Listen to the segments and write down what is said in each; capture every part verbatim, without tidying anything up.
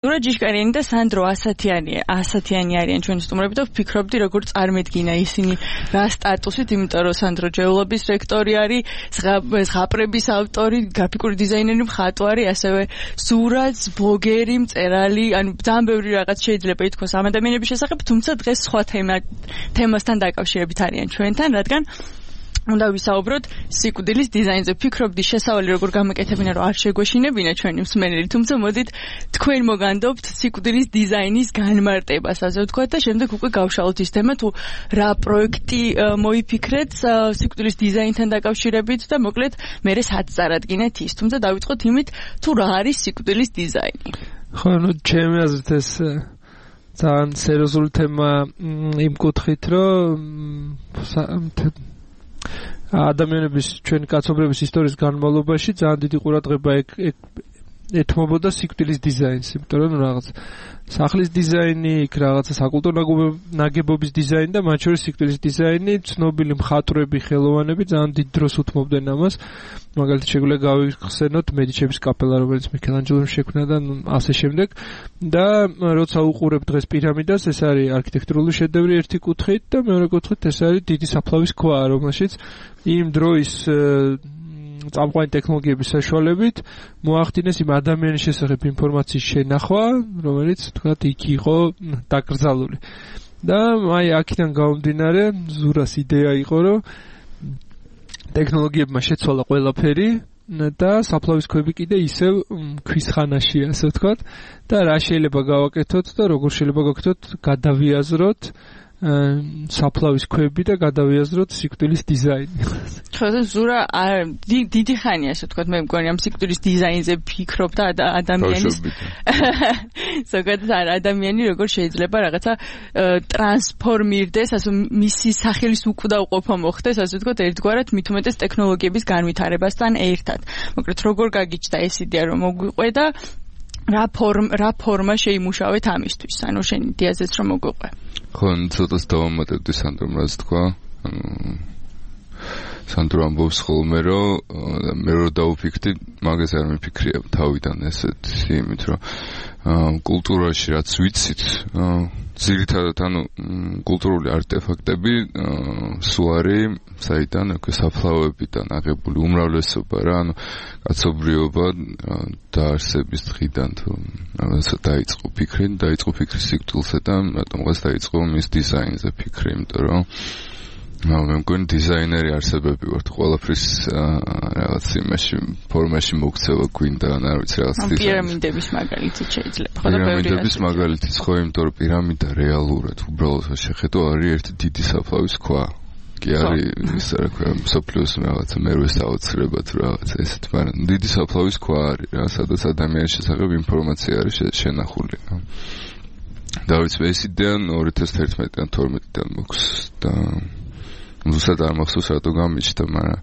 ნურა ჯიშკარიანი და სანდრო ასათიანი ასათიანი არიან ჩვენი სტუმრები და ვფიქრობდი როგორ წარმოედგინა ისინი რა სტატუსით, იმიტომ რომ სანდრო ჯეულობის რექტორი არის, ზღაპრების ავტორი, გრაფიკური დიზაინერი, მხატვარი, ასევე სურათს, ბლოგერი, მწერალი, ანუ ძალიან ბევრი რაღაც შეიძლება ითქვას ამ ადამიანების შესახებ, თუმცა დღეს სხვა თემა თემასთან დაკავშირებით არიან ჩვენთან, რადგან უნდა ვისაუბროთ სიკვდილის დიზაინზე. ვფიქრობდი შესავალი როგორ გამეკეთებინა, რომ არ შეგვეშინებინა ჩვენი მსმენელი, თუმცა მოდით თქვენ მოგანდობთ სიკვდილის დიზაინის განმარტებას, ასე ვთქვათ, და შემდეგ უკვე გავშალოთ ის თემა, თუ რა პროექტი მოიფიქრეთ სიკვდილის დიზაინთან დაკავშირებით და მოკლედ მერე სად წარადგინეთ ის. თუმცა დავიწყოთ იმით, თუ რა არის სიკვდილის დიზაინი. ხო, ნუ ჩემი აზრით ეს ძალიან სერიოზული თემა იმ კუთხით, რომ ადამიანების ჩვენი კაცობრიობის ისტორიის განმავლობაში ძალიან დიდი ყურადღება ეთმობოდა სიკვდილის დიზაინს, იმიტომ რომ რაღაც სახლის დიზაინი, იქ რაღაცა საკულტურო ნაგებობის დიზაინი და მათ შორის სიკვდილის დიზაინი, ცნობილი მხატვრები, ხელოვანები ძალიან დიდ დროს უთმობდნენ ამას. მაგალითად შეგვიძლია გავიხსენოთ მედიჩების კაპელა, რომელიც მიქელანჯელომ შექმნა და ასე შემდეგ. და როცა უყურებ დღეს პირამიდას, ეს არის არქიტექტურული შედევრი ერთი კუთხით და მეორე კუთხით ეს არის დიდი საფლავის ქვა, რომელშიც იმ დროის წამყვანი ტექნოლოგიების საშუალებით მოახდინეს იმ ადამიანის შესახებ ინფორმაციის შენახვა, რომელიც თქვათ იქ იყო დაკრძალული. და აი აქედან გამომდინარე, ზურას იდეა იყო, რომ ტექნოლოგიებმა შეცვალა ყველაფერი და საფლავის ქვები კიდე ისევ ქვის ხანაშია, ასე ვთქვათ, და რა შეიძლება გავაკეთოთ და როგორ შეიძლება გავაკეთოთ, გადავიაზროთ საფლავის ქვები და გადავიაზროთ სიკვდილის დიზაინი. ხო, ზურა დიდი ხანია, ასე ვთქვათ, მე მგონი ამ სიკვდილის დიზაინზე ფიქრობ და ადამიანის ზოგადად ადამიანი როგორ შეიძლება რაღაცა ტრანსფორმირდეს, ასე მისი სახელის უკვდავყოფა მოხდეს, ასე ვთქვათ, ერთგვარად მით უმეტეს ტექნოლოგიების განვითარებასთან ერთად. მოკლედ როგორ გაგიჩნდა ეს იდეა, რომ მოგვიყვე და რა ფორმა რა ფორმა შეიმუშავეთ ამისთვის, ანუ შენ იდეაზეც რომ მოგვიყვე. ხო, ცოტას დავამატებდი სანდრომ რაც თქვა. სანდრო ამბობს ხოლმე, რომ მე რო დავფიქრდი, მაგას არ მიფიქრია თავიდან ესეთ იმით, რომ კულტურაში რაც ვიცით, ძირითადად ანუ კულტურული არტეფაქტები სულ არის საიდან, უკვე საფლავებიდან აღებული უმრავლესობა რა, ანუ კაცობრიობა დაარსების დღიდან თუ რაღაცა დაიწყო ფიქრი, დაიწყო ფიქრი სიკვდილზე და რატომღაც დაიწყო მის დიზაინზე ფიქრი, იმიტომ რომ მე მგონი დიზაინერი არსებები ვართ, ყველაფრის რაღაც იმაში ფორმაში მოქცევა გვინდა, არ ვიცი რაღაც დიზაინი. პირამიდების მაგალითიც შეიძლება, ხო და ბევრი პირამიდების მაგალითიც ხო, იმიტომ რომ პირამიდა რეალურად უბრალოდ შეხედო არის ერთი დიდი საფლავის ქვა. კი არის ის რა ქვია, მსოფლიოს რაღაცა მერვე საოცრება თუ რაღაცა ესეთ, მაგრამ დიდი საფლავის ქვა არის რა, სადაც ადამიანის შესახებ ინფორმაცია არის შენახული. დავით ეს იდეა ორი ათას თერთმეტიდან თორმეტიდან მოქვს და ზუსტად არ მახსოვს რატო გამიჩნდა, მაგრამ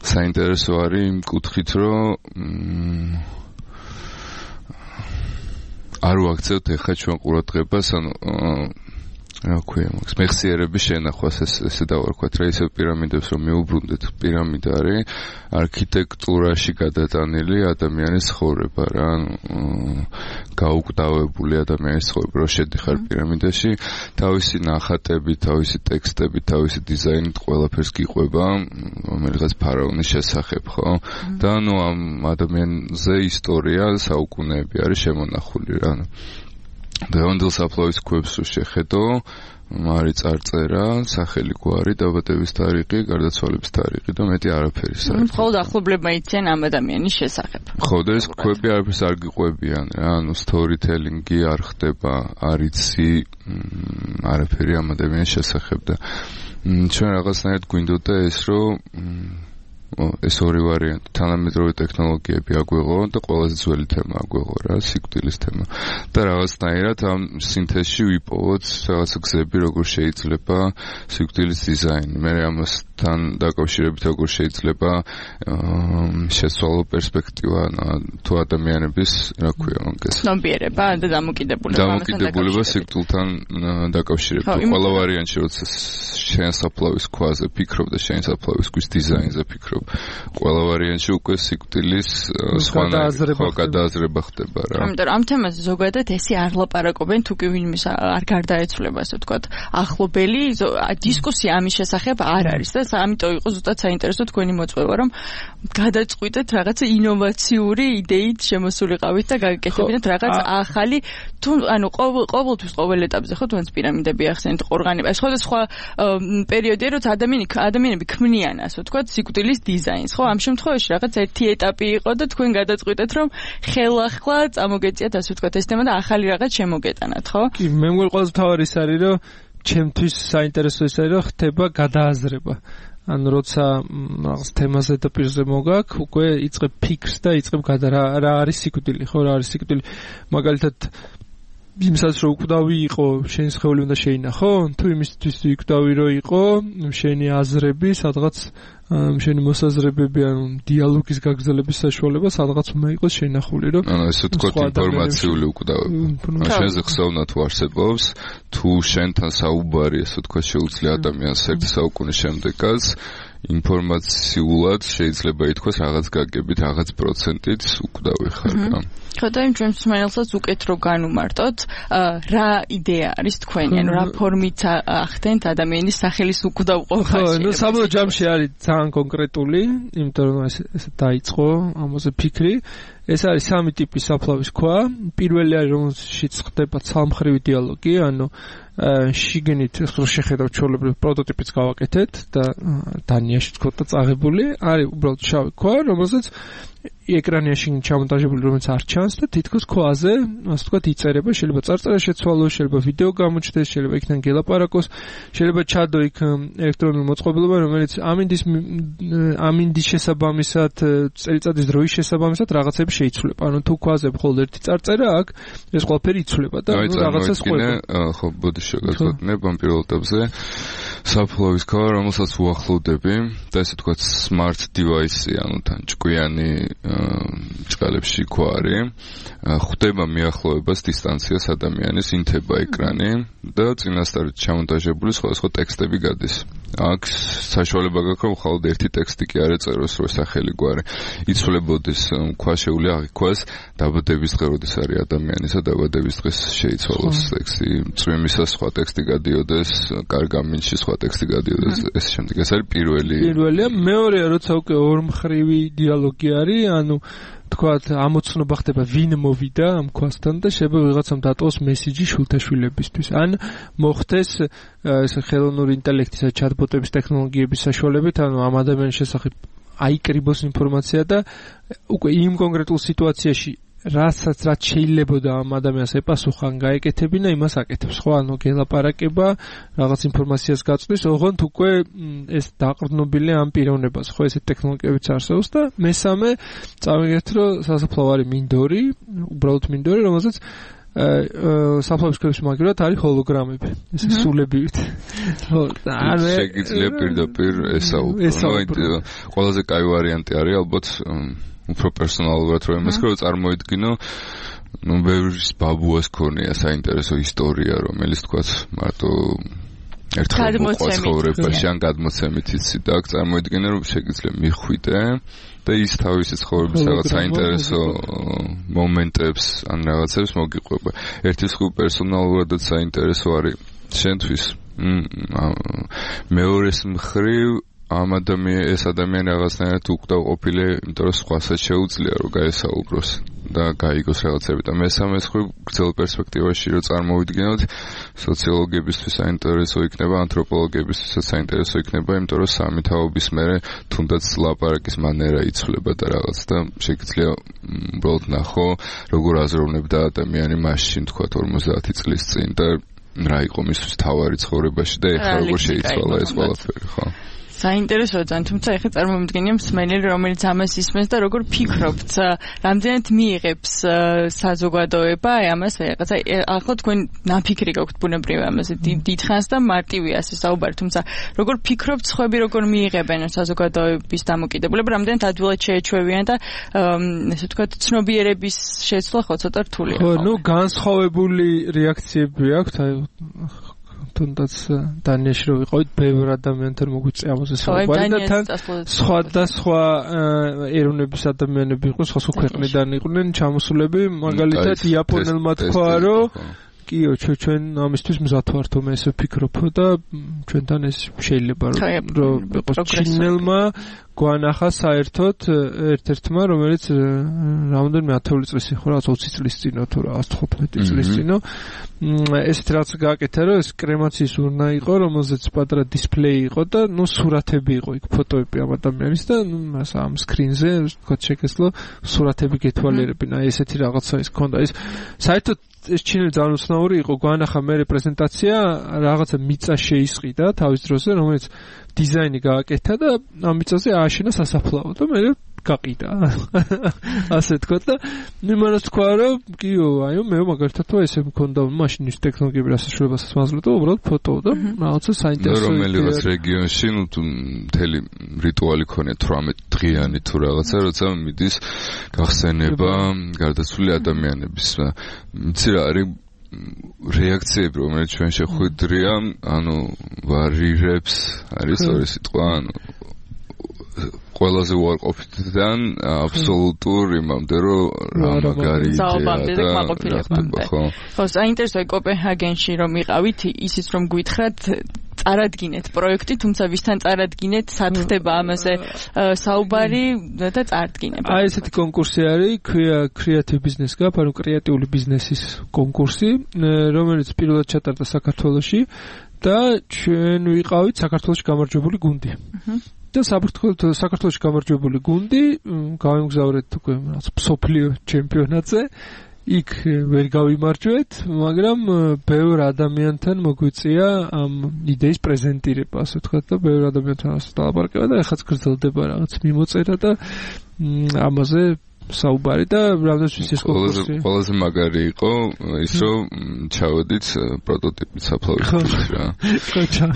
საინტერესო არის იმ კუთხით, რომ არ ვაქცევთ ეხლა ჩვენ ყურადღებას, ანუ რა ქვია, მაგას მეხსიერების შენახვას ეს ესე დავარქვათ რა, ისევ პირამიდებს რომ მიუბრუნდეთ, პირამიდა არის არქიტექტურაში გადატანილი ადამიანის ცხოვრება რა, გაუკვდავებული ადამიანის ცხოვრება, რომ შედიხარ პირამიდაში, თავისი ნახატები, თავისი ტექსტები, თავისი დიზაინით ყველაფერს გიყვება, რომელიღაც ფარაონის შესახებ, ხო? და ნუ ამ ადამიანზე ისტორია საუკუნეები არის შემონახული რა. დღევანდელ საფლავის ქვებს რო შეხედო, არის წარწერა, სახელი გვარი, დაბადების თარიღი, გარდაცვალების თარიღი და მეტი არაფერი საერთოდ. მხოლოდ ახლობლებმა იციან ამ ადამიანის შესახებ. ხო, და ეს ქვები არაფერს არ გიყვებიან რა, ანუ სტორითელინგი არ ხდება, არ იცი არაფერი ამ ადამიანის შესახებ და ჩვენ რაღაცნაირად გვინდოდა ეს, რომ ეს ორი ვარიანტი, თანამედროვე ტექნოლოგიები აგვეღო და ყველაზე ძველი თემა აგვეღო რა, სიკვდილის თემა. და რაღაცნაირად ამ სინთეზში ვიპოვოთ რაღაცა გზები, როგორ შეიძლება სიკვდილის დიზაინი. მე ამასთან დაკავშირებით როგორ შეიძლება შეცვალო პერსპექტივა თუ ადამიანების, რა ქვია, მაგას. ცნობიერება და დამოკიდებულება დამოკიდებულება სიკვდილთან დაკავშირებით. ყველა ვარიანტში, როცა შენ საფლავის ქვაზე ფიქრობ და შენ საფლავის ქვის დიზაინზე ფიქრობ, რომ ყველა ვარიანტში უკვე სიკვდილის სხვა გადააზრება ხდება რა. ამიტომ ამ თემაზე ზოგადად ესე არ ლაპარაკობენ თუ კი ვინმე არ გარდაეცვლება ასე ვთქვათ ახლობელი დისკუსია ამის შესახებ არ არის და ამიტომ იყო ზუსტად საინტერესო თქვენი მოწვევა რომ გადაწყვიტეთ რაღაც ინოვაციური იდეით შემოსულიყავით და გაკეთებინათ რაღაც ახალი თუ ანუ ყოველთვის ყოველ ეტაპზე ხო თუნდაც პირამიდები ახსენეთ ყორღანება სხვადასხვა პერიოდია როცა ადამიანი ადამიანები ქმნიან ასე ვთქვათ სიკვდილის დიზაინს ხო ამ შემთხვევაში რაღაც ერთი ეტაპი იყო და თქვენ გადაწყვიტეთ რომ ხელახლა წამოგეწიათ ასე ვთქვათ ეს თემა და ახალი რაღაც შემოგეტანათ ხო კი მე მგონი ყველაზე მთავარი ის არის რომ ჩემთვის საინტერესო ის არის რომ ხდება გადააზრება ანუ როცა რაღაც თემაზე და პირზე მოგაქ უკვე იწყებ ფიქრს და იწყებ გადა რა რა არის სიკვდილი ხო რა არის სიკვდილი მაგალითად იმსაც რომ უკვდავი იყო შენ სხეული უნდა შეინახო თუ იმისთვის უკვდავი რო იყო შენი აზრები სადღაც შენი მოსაზრებები ანუ დიალოგის გაგრძელების საშუალება სადღაც უნდა იყოს შენახული რომ ანუ ესე ვთქვათ ინფორმაციული უკვდავება შენზე ხსოვნა თუ არსებობს თუ შენთან საუბარი ესე ვთქვათ შეუძლია ადამიანს ერთი საუკუნის შემდეგაც ინფორმაციულად შეიძლება ითქვას რაღაც გაგებით რაღაც პროცენტით უკვდავი ხარ რა ხო და იმ ჩვენს მსმენელსაც უკეთ რო განუმარტოთ რა იდეა არის თქვენი ანუ რა ფორმით ახდენთ ადამიანის სახელის უკვდავ ყოფაში ხო ნუ საბოლოო ჯამში არის ძალიან კონკრეტული იმიტომ რომ ეს დაიწყო ამაზე ფიქრი ეს არის სამი ტიპის საფლავის ქვა პირველი არის რომელშიც ხდება ცალმხრივი დიალოგი ანუ შიგნით რო შეხედავთ ჩვეულებრივ პროტოტიპიც გავაკეთეთ და დანიაში თქო და წაღებული არის უბრალოდ შავი ქვა რომელსაც ეკრანიაში ჩამონტაჟებული რომელიც არ ჩანს და თითქოს ქვაზე ასე ვთქვათ იწერება შეიძლება წარწერა შეცვალოს შეიძლება ვიდეო გამოჩნდეს შეიძლება იქიდან გელაპარაკოს შეიძლება ჩადო იქ ელექტრონული მოწყობილობა რომელიც ამინდის ამინდის შესაბამისად წელიწადის დროის შესაბამისად რაღაცები შეიცვლება ანუ თუ ქვაზე მხოლოდ ერთი წარწერა აქვს ეს ყველაფერი იცვლება და რაღაცას ყვება ხო ბოდი შეგაწყვეტნებ ამ პირველ ეტაპზე საფლავის ქვა რომელსაც უახლოვდები და ესე ვთქვათ smart device ანუ თან ჭკვიანი ჭყალებში ქვარი ხვდება მიახლოებას დისტანციას ადამიანის ინთება ეკრანი და წინასწარ ჩამონტაჟებული სხვადასხვა ტექსტები გადის აქ საშუალება გაქვს რომ მხოლოდ ერთი ტექსტი კი არ ეწეროს რომ სახელი გვარი იცვლებოდეს ქვა შეუძლია აღიქვას დაბადების დღე როდის არის ადამიანისა დაბადების დღეს შეიცვალოს ტექსტი წვიმისას სხვა ტექსტი გადიოდეს კარგამინში სხვა ტექსტი გადიოდეს ეს შემდეგ ეს არის პირველი პირველია მეორეა როცა უკვე ორმხრივი დიალოგი არის ანუ თქვათ ამოცნობა ხდება ვინ მოვიდა ამ ქვასთან და შეიძლება ვიღაცამ დატოვოს მესიჯი შულთაშვილებისთვის ან მოხდეს ეს ხელოვნური ინტელექტისა ჩატბოტების ტექნოლოგიების საშუალებით ანუ ამ ადამიანის შესახებ აიკრიბოს ინფორმაცია და უკვე იმ კონკრეტულ სიტუაციაში რასაც რაც შეიძლებოდა ამ ადამიანს ეპასუხან გაეკეთებინა იმას აკეთებს ხო ანუ გელაპარაკება რაღაც ინფორმაციას გაწვდის ოღონდ უკვე ეს დაყრდნობილია ამ პიროვნებას ხო ესეთ ტექნოლოგიებიც არსებობს და მესამე წავიგეთ რომ სასაფლაო არის მინდორი უბრალოდ მინდორი რომელსაც საფლავის ქვების მაგივრად არის ჰოლოგრამები ესე სულებივით ხო და შეგიძლია პირდაპირ ესაუბრო ყველაზე კაი ვარიანტი არის ალბათ უფრო პერსონალურად რომ იმას რომ წარმოიდგინო ნუ ბევრის ბაბუას ქონია საინტერესო ისტორია რომელიც თქვათ მარტო ერთხელ მოყვაცხოვრებაში ან გადმოცემით იცი და აქ წარმოიდგინე რომ შეგიძლია მიხვიდე და ის თავისი ცხოვრების რაღაც საინტერესო მომენტებს ან რაღაცებს მოგიყვება ერთის ხუ პერსონალურადაც საინტერესო არის შენთვის მეორეს მხრივ ამ ადამიან ეს ადამიანი რაღაცნაირად უკვდავ ყოფილი, იმიტომ რომ სხვასაც შეუძლია რომ გაესაუბროს და გაიგოს რაღაცები და მესამე მხრივ გრძელ პერსპექტივაში რომ წარმოვიდგინოთ სოციოლოგებისთვის საინტერესო იქნება, ანთროპოლოგებისთვის საინტერესო იქნება, იმიტომ რომ სამი თაობის მერე თუნდაც ლაპარაკის მანერა იცვლება და რაღაც და შეგიძლია უბრალოდ ნახო როგორ აზროვნებდა ადამიანი მაშინ თქვა ორმოცდაათი წლის წინ და რა იყო მისთვის თავარი ცხოვრებაში და ეხლა როგორ შეიცვალა ეს ყველაფერი ხო საინტერესოა ძალიან, თუმცა ეხლა წარმოვიდგინე მსმენელი, რომელიც ამას ისმენს და როგორ ფიქრობთ, რამდენად მიიღებს საზოგადოება ამას რაღაცა ახლა თქვენ ნაფიქრი გაქვთ ბუნებრივი ამაზე დიდხანს და მარტივია ასე საუბარი, თუმცა როგორ ფიქრობთ, სხვები როგორ მიიღებენ საზოგადოების დამოკიდებულება, რამდენად ადვილად შეეჩვევიან და ესე ვთქვათ, ცნობიერების შეცვლა ხო ცოტა რთულია. ხო, ნუ განსხვავებული რეაქციები აქვს, აი თუნდაც დანიაში რო ვიყავით, ბევრ ადამიანთან მოგვიწია ამაზე საუბარი და თან სხვა და სხვა ეროვნების ადამიანები იყვნენ, სხვა სხვა ქვეყნიდან იყვნენ ჩამოსულები, მაგალითად იაპონელმა თქვა, რომ კიო ჩვენ ამისთვის მზად ვართ, მე ესე ვფიქრობ და ჩვენთან ეს შეიძლება რომ იყოს ჩინელმა გვანახა საერთოდ ერთ-ერთმა, რომელიც რამდენიმე ათეული წლის იყო, რაღაც ოცი წლის წინო თუ რაღაც თხუთმეტი წლის წინო, ესეთ რაც გააკეთა, რომ ეს კრემაციის урна იყო, რომელზეც პატარა დისპლეი იყო და ნუ სურათები იყო იქ, ფოტოები ამ ადამიანის და ამ სკრინზე თქვა შეგეძლო სურათები გეთვალიერებინა, ესეთი რაღაცა ის ქონდა. ეს საერთოდ ეს ჩინელი ძალიან უცნაური იყო, გვანახა მე პრეზენტაცია, რაღაცა მიწა შეისყიდა თავის დროზე, რომელიც დიზაინი გააკეთა და ამ მიწაზე ააშენა სასაფლაო და მე გაყიდა. ასე თქვა და იმანაც თქვა, რომ კიო, აიო, მე მაგალითად თუ ესე მქონდა მაშინ ის ტექნოლოგიები რასაშუალებასაც მაძლევდა, უბრალოდ ფოტო და რაღაცა საინტერესო. რომელიღაც რეგიონში ნუ მთელი რიტუალი ქონია თვრამეტ დღიანი თუ რაღაცა, როცა მიდის გახსენება გარდაცვლილი ადამიანების. იცი რა არის რეაქციები, რომელიც ჩვენ შეხვედრია, ანუ ვარირებს, არის ორი სიტყვა, ანუ ყველაზე უარყოფითიდან აბსოლუტურ იმამდე, რომ რა მაგარი იდეაა და ხო. ხო, საინტერესოა კოპენჰაგენში რომ იყავით, ისიც რომ გვითხრათ წარადგინეთ პროექტი, თუმცა ვისთან წარადგინეთ, სათდება ამაზე საუბარი და წარდგინება. აი ესეთი კონკურსი არის, ქვია Creative Business Cup, ანუ კრეატიული ბიზნესის კონკურსი, რომელიც პირველად ჩატარდა საქართველოში და ჩვენ ვიყავით საქართველოში გამარჯვებული გუნდი. და საქართველოს საქართველოში გამარჯვებული გუნდი გავიმგზავრეთ უკვე რაღაც მსოფლიო ჩემპიონატზე. იქ ვერ გავიმარჯვეთ, მაგრამ ბევრ ადამიანთან მოგვიწია ამ იდეის პრეზენტირება, ასე ვთქვათ, და ბევრ ადამიანთან ასწავლაბარკება და ეხაც გრძელდება რაღაც მიმოწერა და ამაზე საუბარი და რამდენიც ის კონკურსი. ყველაზე მაგარი იყო ის, რომ ჩავედით პროტოტიპით საფლავის რა. ხო, ჩა.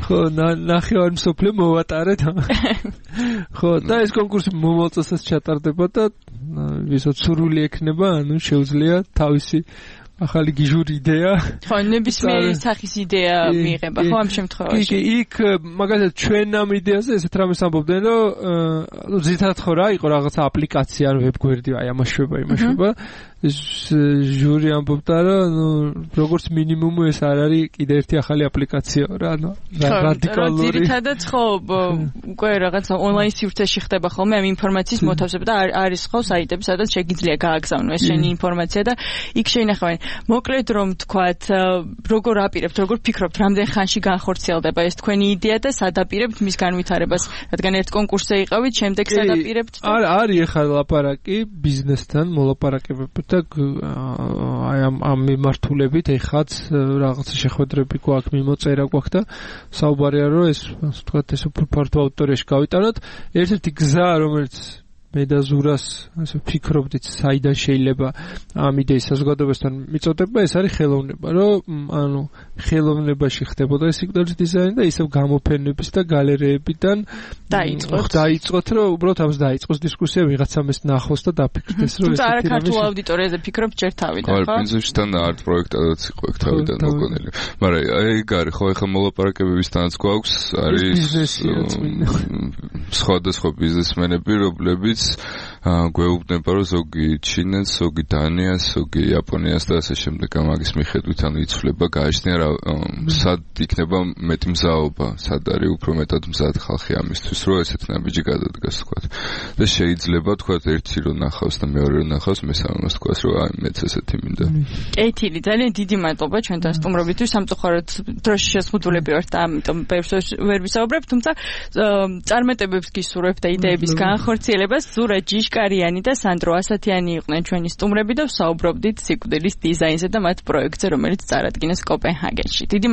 ხო, ნახევარ მსოფლიო მოვატარეთ. ხო, და ეს კონკურსი მომავალ წელსაც ჩატარდება და ვისაც სურვილი ექნება, ანუ შეუძლია თავისი ახალი გიჟური იდეა. ხო, ნებისმიერი სახის იდეა მიიღება, ხო, ამ შემთხვევაში. კი, იქ მაგალითად ჩვენ ამ იდეაზე ესეთ რამეს ამბობდნენ, რომ ნუ ზითად ხო რა იყო რაღაცა აპლიკაცია, ანუ ვებგვერდი, აი ამაშვება, იმაშვება. ეს ჟური ამბობდა, რომ ნუ როგორც მინიმუმ ეს არ არის კიდე ერთი ახალი აპლიკაცია რა, ანუ რადიკალური. ძირითადად ხო, უკვე რაღაცა ონლაინ სივრცეში ხდება ხოლმე ამ ინფორმაციის მოთავსება და არის ხო საიტები, სადაც შეგიძლია გააგზავნო ეს შენი ინფორმაცია და იქ შეინახავენ. მოკლედ რომ თქვათ, როგორ აპირებთ, როგორ ფიქრობთ, რამდენ ხანში განხორციელდება ეს თქვენი იდეა და სად აპირებთ მის განვითარებას, რადგან ერთ კონკურსზე იყავით, შემდეგ სად აპირებთ? არ არის ახლა ლაპარაკი ბიზნესთან, მოლაპარაკებები და აი ამ ამ მიმართულებით ეხაც რაღაცა შეხვედრები გვაქვს, მიმოწერა გვაქვს და საუბარია რომ ეს ასე ვთქვათ, ეს უფრო ფართო აუდიტორიაში გავიტანოთ. ერთ-ერთი გზა, რომელიც მე და ზურას ასე ვფიქრობდით, საიდან შეიძლება ამ იდეის საზოგადოებასთან მიწოდება, ეს არის ხელოვნება, რომ ანუ ხელოვნებაში ხდებოდა ეს სიკვდილის დიზაინი და ისევ გამოფენების და გალერეებიდან დაიწყოთ. დაიწყოთ, რომ უბრალოდ ამას დაიწყოს დისკუსია, ვიღაცამ ეს ნახოს და დაფიქრდეს, რომ ეს არა ქართულ აუდიტორიაზე ფიქრობ ჯერ თავიდან, ხო? ხო, პრინციპში თან არტ პროექტადაც იყო ეგ თავიდან მოგონილი. მაგრამ აი გარი ხო, ეხლა მოლაპარაკებებისთანაც გვაქვს, არის სხვადასხვა ბიზნესმენები, რომლებიც გვეუბნება, რომ ზოგი ჩინეთს, ზოგი დანიას, ზოგი იაპონიას და ასე შემდეგ ამაგის მიხედვით ანუ იცვლება, გააჩნია რა სად იქნება მეტი მზაობა, სად არის უფრო მეტად მზად ხალხი ამისთვის, რომ ესეთ ნაბიჯი გადადგას, თქვათ. და შეიძლება, თქვათ, ერთი რო ნახავს და მეორე რო ნახავს, მესამე თქვას, რომ აი მეც ესეთი მინდა. კეთილი, ძალიან დიდი მადლობა ჩვენთან სტუმრობისთვის, სამწუხაროდ დროში შეზღუდულები ვართ და ამიტომ ბევრს ვერ ვისაუბრებ, თუმცა წარმატებებს გისურვებ და იდეების განხორციელებას. ზურა ჯიშკარიანი და სანდრო ასათიანი იყვნენ ჩვენი სტუმრები და ვსაუბრობდით სიკვდილის დიზაინზე და მათ პროექტზე, რომელიც წარადგინეს კოპენჰაგენში. დიდი